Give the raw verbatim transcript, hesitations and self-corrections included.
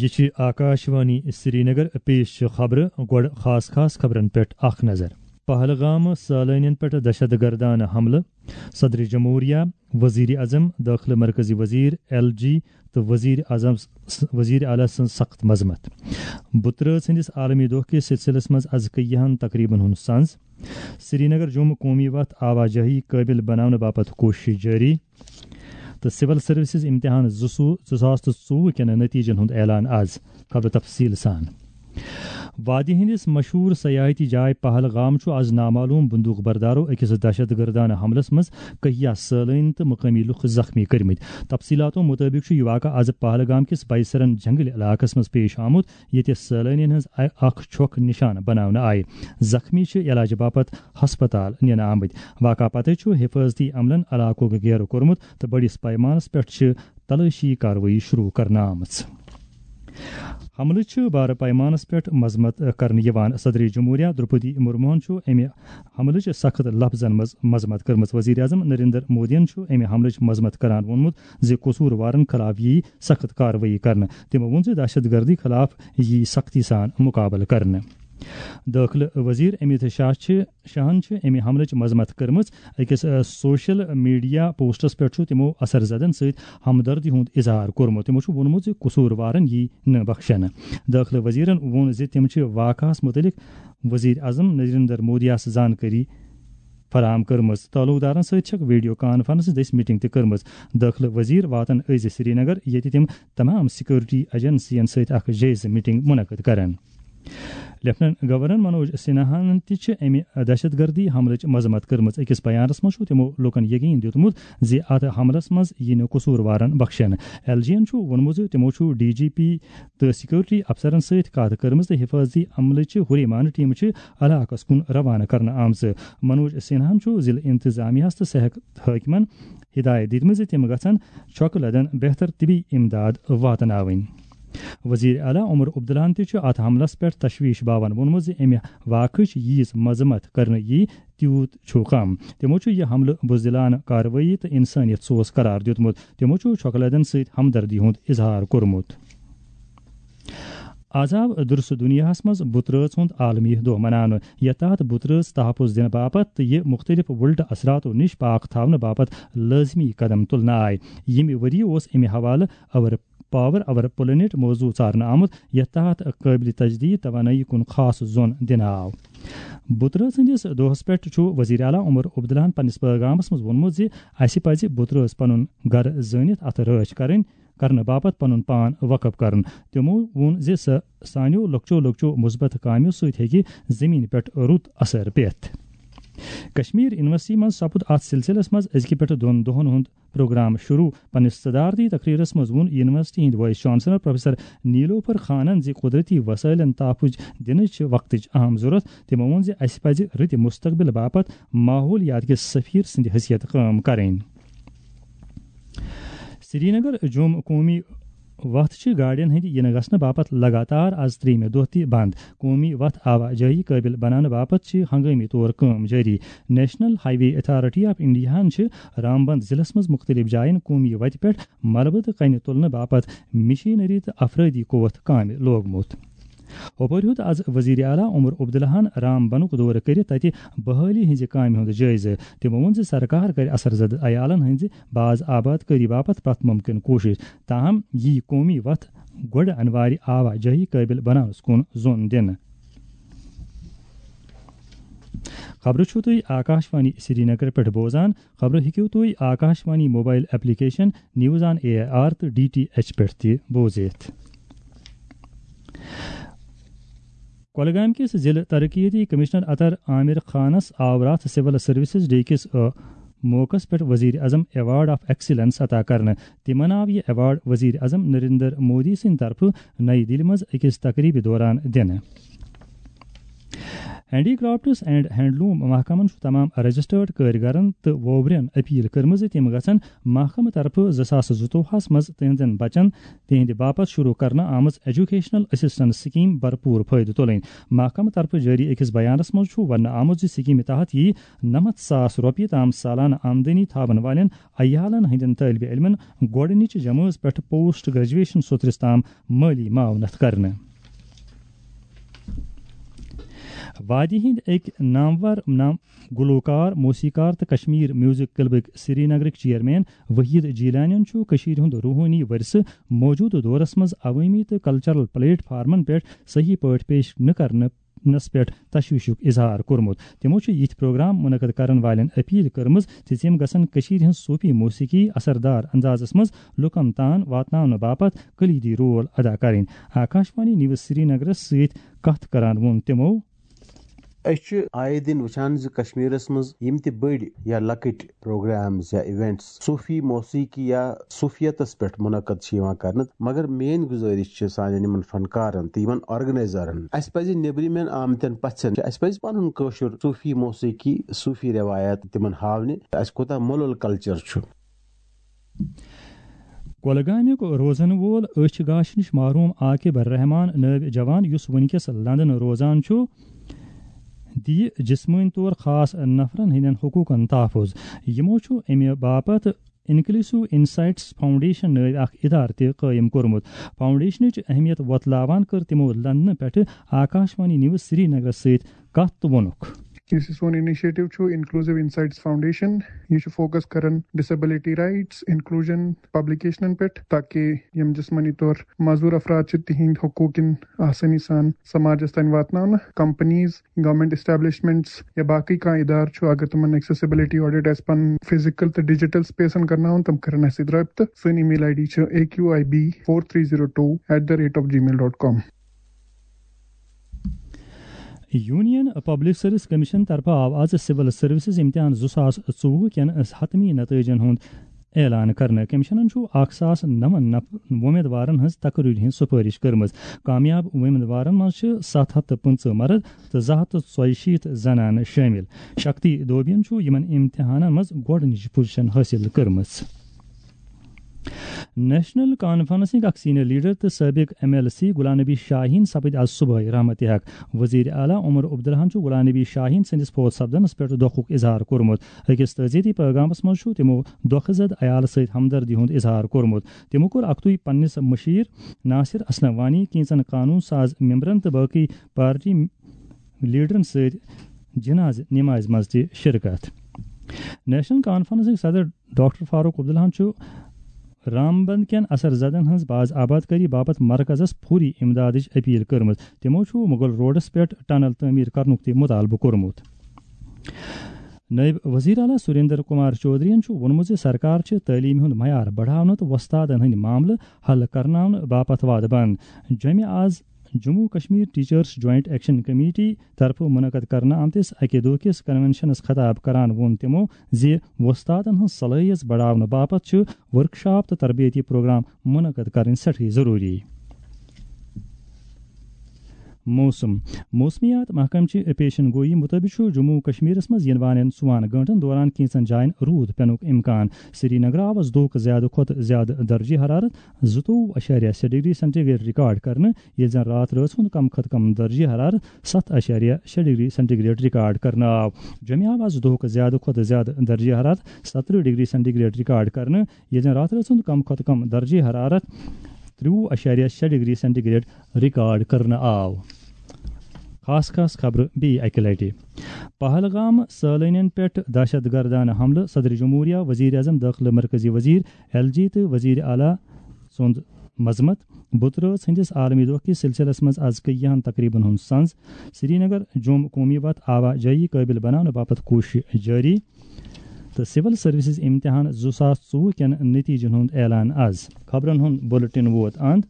یہِ چھِ آکاشوانی سرینگر۔ پیش چھِ خبرٕ۔ گۄڈٕ خاص خاص خبرن پٮ۪ٹھ اکھ نظر۔ پہلگام سٲلٲنین پٮ۪ٹھ دہشت گردانہٕ حملہٕ، صدر جمہوریہ، وزیر اعظم، دٲخلہٕ مرکزی وزیر، ایل جی تہٕ وزیر اعظم، وزیر اعلیٰ سٕنٛز سخت مذمت۔ بُترٲژ ہٕنٛدِس عالمی دۄہ کِس سلسلس منٛز از کیاہن تقریبن ہُنٛد سنز۔ سرینگر جوٚم قومی وتھ آواجٲہی قٲبل بناونہٕ باپتھ کوٗشش جٲری۔ تہٕ سول سروسز امتحان زٕ سو-، زٕ ساس تہٕ ژوٚوُہ کٮ۪ن نتیجن ہُنٛد اعلان از۔ خبر تفصیل سان۔ وادی ہٕنٛدِس مشہوٗر سیاحتی جاے پہلگام چھُ از نامعلوم بندوق بردارو أکِس دہشت گردانہٕ حملس منٛز کہیا سٲلٲنۍ تہٕ مقٲمی لُکھ زخمی کٔرمٕتۍ۔ تفصیلاتو مُطٲبِق چھُ یہِ واقعہٕ از پہلگام کِس بایسرن جنگل علاقس منٛز پیش آمُت، ییٚتہِ سٲلٲنین ہٕنٛز اَ-، اکھ چھۄکھ نشانہٕ بناونہٕ آیہِ۔ زخمی چھِ علاج باپتھ ہسپتال نِنہٕ آمٕتۍ۔ واقعہٕ پتہٕ چھُ حفاظتی عملن علاقُک گیرٕ کوٚرمُت تہٕ بٔڑِس پیمانس پٮ۪ٹھ چھِ تلٲشی کاروٲیی شروع کرنہٕ آمٕژ۔ حملہٕ چھِ بارٕ پیمانس پٮ۪ٹھ مذمت کرنہٕ یِوان۔ صدر جمہوریہ درپدی مرموہن چھُ امہِ حملٕچ سخت لفظن منٛز مذمت کٔرمٕژ۔ وزیر اعظم نریندر مودیَن چھُ امہِ حملٕچ مذمت کران ووٚنمُت زِ قصوٗروارن خلاف یِیہِ سخت کاروٲیی کرنہٕ۔ تٔمۍ ووٚن زِ دہشت گردی خلاف یِیہِ سختی سان مُقابلہٕ کرنہٕ۔ دٲخلہٕ وزیر امیت شاہ چھِ، شاہن چھِ امہِ حملٕچ مذمت کٔرمٕژ۔ أکِس، ا، سوشل میڈیا پوسٹس پٮ۪ٹھ چھُ تِمو اثر زدن سۭتۍ ہمدردی ہُنٛد اظہار کوٚرمُت۔ تِمو چھُ ووٚنمُت زِ قصوٗروارن یی نہٕ بخشنہٕ۔ دٲخلہٕ وزیرن ووٚن زِ تِم چھِ واقعہس مُتعلق وزیر اعظم نریندر مودیَس زانکٲری فراہم کٔرمٕژ۔ تعلقدارن سۭتۍ چھکھ ویڈیو کانفرنس دٔسۍ میٹنگ تہِ کٔرمٕژ۔ دٲخلہٕ وزیر واتن أزۍ سرینگر، ییٚتہِ تِم تمام سیکورٹی ایجنسین سۭتۍ اکھ جٲیزٕ میٹنگ منعقد کرن۔ لیفٹیننٹ گورنر منوج سنہاہن تہِ چھِ امہِ دہشت گردی حملٕچ مذمت کٔرمٕژ۔ أکِس بیانس منٛز چھُ تِمو لوٗکن یقین دیُتمُت زِ اتھ حملس منٛز یِیہِ نہٕ قصوٗروارن بخشنہٕ۔ ایل جی ین چھُ ووٚنمُت زِ تِمو چھُ ڈی جی پی تہٕ سیکورٹی افسرن سۭتۍ کتھ کٔرمٕژ تہٕ حفاظتی عملٕچہِ ہُریمانہٕ ٹیمہٕ چھِ علاقس کُن روانہٕ کرنہٕ آمژٕ۔ منوج سنہاہن چھُ ضلعہٕ انتظامیہس تہٕ صحت حٲکمن ہدایت دِتمٕژ زِ تِم گژھن چھۄکہٕ لدن بہتر طبی امداد واتناوٕنۍ۔ وزیر اعلیٰ عمر عبداللہن تہِ چھُ اتھ حملس پٮ۪ٹھ تشویش باوان ووٚنمُت زِ امہِ واقعٕچ ییٖژ مذمت کرنہٕ یی، تیوٗت چھُ کم۔ تِمو چھُ یہِ حملہٕ بزدلانہٕ کاروٲیی تہٕ انسٲنیت سوز قرار دیُتمُت۔ تِمو چھُ چھۄکہٕ لدن سۭتۍ ہمدردی ہُنٛد اظہار کوٚرمُت۔ آز آو درس دنیاہس منٛز بُترٲژ ہُنٛد عالمی دۄہ مناونہٕ، یتھ تحت بُترٲژ تحفظ دِنہٕ باپتھ تہٕ یہِ مُختٔلِف وُلٹہٕ اثراتو نِش پاک تھاونہٕ باپتھ لٲزمی قدم تُلنہٕ آے۔ ییٚمہِ ؤریہِ اوس امہِ حوالہٕ اور پاور اور پلینٹ موضوع ژارنہٕ آمُت، یتھ تحت قٲبلِ تجدید توانٲیی کُن خاص زون دِنہٕ آو۔ بُترٲژ ہٕنٛدِس دۄہس پٮ۪ٹھ چھُ وزیر اعلیٰ عمر عبداللہن پننِس پیغامس منٛز ووٚنمُت زِ اسہِ پزِ بُترٲژ پنُن گرٕ زٲنِتھ اتھٕ رٲچھ کرٕنۍ، کرنہٕ باپتھ پنُن پان وقف کرُن۔ تِمو ووٚن زِ سہ-، سانیو لۄکچو لۄکچو مثبت کامیو سۭتۍ ہیٚکہِ زمین پٮ۪ٹھ رُت اثر پٮ۪تھ۔ کشمیر یونیورسٹی منٛز سپُد اتھ سلسلس منٛز أزکہِ پٮ۪ٹھ دۄن دۄہن ہُنٛد پروگرام شروع۔ پننِس صدارتی تقریرس منٛز ووٚن یونیورسٹی ہٕنٛدۍ وائس چانسلر پروفیسر نیلوفر خانن زِ قدرتی وسائلن تحفظ دِنٕچ چھِ وقتٕچ اہم ضرورت۔ تِمو ووٚن زِ اسہِ پزِ رٕتہِ مستقبل باپتھ ماحولیات کِس سفیر سٕنٛدِ حیثیت کٲم کرٕنۍ۔ سرینگر جوٚم قومی وتھ چھِ گاڑٮ۪ن ہٕنٛدِ یِنہٕ گژھنہٕ باپتھ لگاتار از ترٛیٚیِمہِ دۄہ تہِ بنٛد۔ قومی وتھ آواجٲہی قٲبل بناونہٕ باپتھ چھِ ہنگٲمی طور کٲم جٲری۔ National highway authority of انڈیاہن چھِ رامبند ضلعس منٛز مُختٔلِف جاین قومی وتہِ پٮ۪ٹھ ملبہٕ تہٕ کنہِ تُلنہٕ باپتھ مشینری تہٕ افرٲدی قوت کامہِ لوگمُت۔ ہُپٲرۍ ہیوٚت از وزیر اعلیٰ عمر عبداللہن رام بنُک دورٕ کٔرِتھ تتہِ بحالی ہٕنٛزِ کامہِ ہُنٛد جٲیزٕ۔ تِمو ووٚن زِ سرکار کرِ اثر زدٕ عیالن ہٕنٛزِ باز آباد کٲری باپتھ پرٛٮ۪تھ مُمکِن کوٗشش، تاہم یی قومی وتھ گۄڈٕ انوارِ آواجٲہی قٲبل بناونس کُن زون دِنہٕ۔ خبرٕ چھِو تُہۍ آکاشوانی سرینگر پٮ۪ٹھ بوزان۔ خبرٕ ہیٚکِو تُہۍ Akashvani mobile application news on A I R تہٕ ڈی ٹی ایچ پٮ۪ٹھ تہِ بوٗزِتھ۔ کۄلگامہِ کِس ضلع ترقیتی کمشنر اطہر عامر خانس آو راتھ سول سروسز ڈے کِس، آ، موقعس پٮ۪ٹھ وزیر اعظم ایوارڈ آف ایکسیلنس عطا کرنہٕ۔ تِمن آو یہِ ایوارڈ وزیر اعظم نریندر مودی سٕنٛدِ طرفہٕ نئی دِلہِ منٛز أکِس تقریبہِ دوران دِنہٕ۔ ہینڈی کرافٹس اینڈ ہینڈلوم محکمن چھُ تمام رجسٹرڈ کٲرۍ گرن تہٕ ووبرٮ۪ن اپیل کٔرمٕژ زِ تِم گژھن محکمہٕ طرفہٕ زٕ ساس زٕتووُہس منٛز تِہنٛزن بچن تِہنٛدِ باپتھ شروع کرنہٕ آمٕژ ایجوکیشنل اسسٹنس سکیم بھرپور فٲیدٕ تُلٕنۍ۔ محکمہٕ طرفہٕ جٲری أکِس بیانس منٛز چھُ وننہٕ آمُت زِ سکیمہِ تحت یِیہِ نَمَتھ ساس رۄپیہِ تام سالانہٕ آمدنی تھاون والٮ۪ن عیالن ہٕنٛدٮ۪ن طٲلبہِ علمن گۄڈٕنِچہِ جمٲژ پٮ۪ٹھ پوسٹ گریجویشن سوترس تام مٲلی معاونت کرنہٕ۔ وادی ہٕنٛدۍ أکۍ نامور نام گلوکار، موسیقار تہٕ کشمیر میوزک کلبٕکۍ سرینگرٕکۍ چیئرمین وحید جیلانین چھُ کٔشیٖرِ ہُنٛد روحٲنی ورثہٕ موجودٕ دورس منٛز عوٲمی تہٕ کلچرل پلیٹ فارمن پٮ۪ٹھ صحیح پٲٹھۍ پیش نہٕ کرنہٕ نس پٮ۪ٹھ تشویشُک اظہار کوٚرمُت۔ تِمو چھُ یِتھۍ پروگرام منعقد کرن والٮ۪ن اپیل کٔرمٕژ زِ تِم گژھن کٔشیٖرِ ہٕنٛز صوفی موسیقی اثردار اندازس منٛز لوٗکن تام واتناونہٕ باپتھ کلیدی رول ادا کرٕنۍ۔ آکاشوانی نیوز سرینگرس سۭتۍ کتھ کران ووٚن تِمو۔ أسۍ چھِ آیے دِن وٕچھان زِ کشمیرس منٛز یِم تہِ بٔڑۍ یا لۄکٕٹۍ پروگرامز یا ایونٹس صوفی موسیقی یا صوفیتس پٮ۪ٹھ منعقد چھِ یِوان کرنہٕ، مگر میٲنۍ گُزٲرِش چھِ سانٮ۪ن یِمن فنکارن تہٕ یِمن آرگنائزرن، اسہِ پزِ نیبرِمٮ۪ن آمتٮ۪ن پژھٮ۪ن، اسہِ پزِ پنُن کٲشُر صوفی موسیقی، صوفی رٮ۪وایت تِمن ہاونہِ، اسہِ کوٗتاہ مۄلُل کلچر چھُ۔ کۄلگامیُک روزن وول أچھ گاش نِش محروم عاقب رحمان نٲوۍ جوان، یُس وٕنکیٚس لندن روزان چھُ، دِیہِ جسمٲنی طور خاص نفرن ہٕنٛدٮ۪ن حقوٗقن تحفظ۔ یِمو چھُ اَمہِ باپتھ انکلیسو انسائٹس فاؤنڈیشن نٲوۍ اکھ ادارٕ تہِ قٲیِم کوٚرمُت۔ فاؤنڈیشنٕچ اہمیت وۄتلاوان کٔر تِمو لندنہٕ پٮ۪ٹھٕ آکاشوانی نیوز سرینگرس سۭتۍ کتھ تہٕ ووٚنُکھ۔ یُس یہِ سون انیشیٹو چھُ انکلوسو انسائٹس فاؤنڈیشن، یہِ چھُ فوکس کران ڈسیبلٹی رائٹس، انکلوجن، پبلکیشنن پٮ۪ٹھ، تاکہ یِم جسمٲنی طور معذور افراد چھِ، تِہنٛدۍ حقوق یِن آسٲنی سان سماجس تام واتناونہٕ۔ کمپنیز، گورنمنٹ اسٹیبلشمنٹس یا باقٕے کانٛہہ ادارٕ چھُ، اگر تِمن ایکسیسیبلٹی آڈٹ آسہِ پنُن فزیکل تہٕ ڈیجیٹل سپیسن کرناوُن، تِم کرن اسہِ سۭتۍ رٲبطہٕ۔ سٲنۍ email ID چھِ A Q I B four three zero two at the rate of gmail dot com۔ Union public service commission طرفہٕ آو آز سول سروسز امتحان زٕ ساس ژوٚوُہ کٮ۪ن حتمی نتٲیجن ہُنٛد اعلان کرنہٕ۔ کمیشنن چھُ اکھ ساس نَوَن نف-، وۄمیدوارن ہٕنٛز تقرری ہٕنٛز سفٲرش کٔرمٕژ۔ کامیاب وۄمیدوارن منٛز چھِ ستھ ہتھ تہٕ پٕنٛژٕہ مرد تہٕ زٕ ہتھ تہٕ ژۄیہِ شیٖتھ زنانہٕ شٲمِل۔ شکتی دوبین چھُ یِمن امتحانن منٛز گۄڈٕنِچ پوزیشن حٲصِل کٔرمٕژ۔ نیشنل کانفرنسٕکۍ اکھ سینئر لیڈر تہٕ سٲبق ایم ایل سی غلام نبی شاہین سپٕدۍ آز صبحٲے رحمتِ حق۔ وزیر اعلیٰ عمر عبداللہن چھُ غلام نبی شاہین سٕنٛدِس فوت سپدنس پٮ۪ٹھ دۄکھُک اظہار کوٚرمُت۔ أکِس تعزیتی پیغامس منٛز چھُ تِمو دۄکھٕ زد عیالہٕ سۭتۍ ہمدردی ہُنٛد اظہار کوٚرمُت۔ تِمو کوٚر اکتُے پننِس مشیر ناصر اسلم وانی، کینژن قانون ساز ممبرن تہٕ باقی پارٹی لیڈرن سۭتۍ جنازٕ نمازِ منٛز تہِ شرکت۔ نیشنل کانفرنسٕکۍ صدر ڈاکٹر فاروق عبداللہن چھُ رامبند کٮ۪ن اثر زدن ہٕنٛز باز آباد کٲری باپتھ مرکزس فوری امدادٕچ اپیل کٔرمٕژ۔ تِمو چھُ مغل روڈس پٮ۪ٹھ ٹنل تعمیٖر کرنُک تہِ مطالبہٕ کوٚرمُت۔ نٲیِب وزیر اعلیٰ سریندر کمار چودھرین چھُ ووٚنمُت زِ سرکار چھِ تعلیٖم ہُنٛد معیار بڑاونہٕ تہٕ وۄستادن ہٕنٛدۍ معاملہٕ حل کرناونہٕ باپتھ وعدٕ بنٛد۔ جوٚمہِ آز Jammu Kashmir teachers joint action committee طرفہٕ منعقد کرنہٕ آمتِس اکہِ دۄہ کِس کنونشنس خطاب کران ووٚن تِمو زِ وۄستادن ہٕنٛز صلٲحیت بڑاونہٕ باپتھ چھِ ورکشاپ تہٕ تربیتی پروگرام منعقد کرٕنۍ سٮ۪ٹھٕے ضروٗری۔ موسم۔ موسمیات محکمہٕ چہِ پیشن گویی مُطٲبِق چھُ جموں و کشمیرس منٛز یِنہٕ والٮ۪ن ژُوہن گٲنٛٹن دوران کینٛژن جاین روٗد پینُک امکان۔ سرینگر آو از دۄہُک زیادٕ کھۄتہٕ زیادٕ درجہ حرارت زٕتووُہ اَشاریہ شےٚ ڈگری سینٹی گریڈ ریکارڈ کرنہٕ، ییٚلہِ زن راتھ رٲژ ہُنٛد کم کھۄتہٕ کم درجہ حرارت ستھ اَشاریہ شےٚ ڈگری سینٹی گریڈ ریکارڈ کرنہٕ آو۔ جوٚمہِ آو از دۄہُک زیادٕ کھۄتہٕ زیادٕ درجہ حرارت ستترٕہ ڈگری سینٹی گریڈ ریکارڈ کرنہٕ، ییٚلہِ زن راتھ رٲژ ہُنٛد کم کھۄتہٕ کم درجہ حرارت ترٛوٚوُہ اَشاریہ شےٚ ڈگری سینٹی گریڈ ریکارڈ کرنہٕ آو۔ خاص خاص خبرٕ بیٚیہِ اَکہِ لٹہِ۔ پہلگام سٲلٲنٮ۪ن پٮ۪ٹھ دہشت گردانہٕ حملہٕ، صدر جمہوریہ، وزیر اعظم، دٲخلہٕ مرکزی وزیر، ایل جی تہٕ وزیر اعلیٰ سُنٛد مذمت۔ بُترٲژ ہٕنٛدِس عالمی دۄہ کِس سلسلس منٛز از کیاہن تقریبن ہُنٛد سنز۔ سرینگر جوٚم قومی وتھ آواجٲیی قٲبل بناونہٕ باپتھ کوٗشش جٲری۔ تہٕ سول سروسز امتحان زٕ ساس ژوٚوُہ کٮ۪ن نتیجن ہُنٛد اعلان از۔ خبرن ہُنٛد بلیٹن ووت اند۔